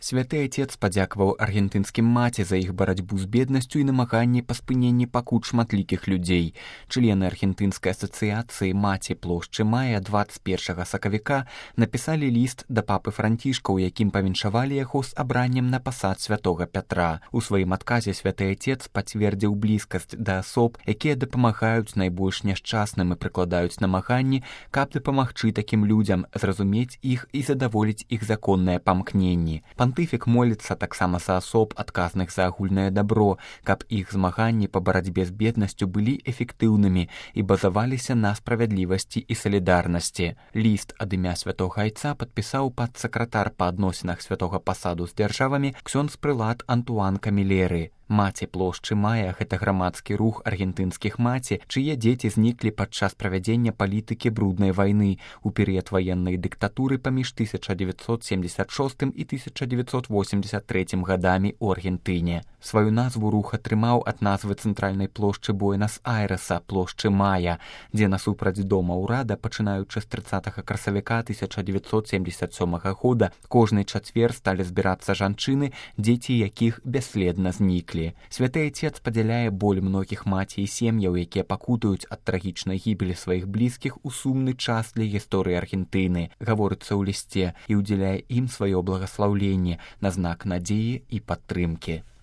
Святы Отец падзякаваў аргентынскім маці за іх барацьбу з беднасцю і намаганні па спыненні пакут шматлікіх людзей. Члены аргентынскай асацыяцыі маці плошчы мая 21 сакавіка напісалі ліст да папы Францішка, у якім павіншавалі яго з абраннем на пасад святога Пятра. У сваім адказе святы Отец пацвердзіў блізкасць да асоб, якія дапамагаюць найбольш няшчасным і прыкладаюць намаганні, каб дапамагчы такім людзям, зразумець іх і задаволіць іх законныя памкненні. Пантыфік моліцца таксама за асоб, адказных за агульнае дабро, каб іх змаганні па барацьбе з беднасцю былі эфектыўнымі і базаваліся на справядлівасці і салідарнасці. Ліст ад імя святога Айца падпісаў падсакратар па адносінах святога пасаду з дзяржавамі ксёндз-прылад Антуан Камілеры. Маці плошчы мая – гэта грамадскі рух аргентынскіх маці, чые дзеці зніклі падчас правядзення палітыкі бруднай вайны у перыяд ваеннай дыктатуры паміж 1976 і 1983 гадамі ў Аргентыне. Сваю назву рух атрымаў ад назвы цэнтральнай плошчы Буэнас-Айрэса, плошчы Мая, дзе насупраць дома ўрада, пачынаючы з 30 красавіка 1977 года, кожны чацвер сталі збірацца жанчыны, дзеці якіх бясследна зніклі. Святы Отец падзяляе боль многіх маці і сем'яў, якія пакутаюць ад трагічнай гібелі сваіх блізкіх у сумны час для гісторыі Аргентыны, гаворыцца ў лісце, і ўдзяляе ім сваё благаслаўленне на знак надзеі і падтрымкі.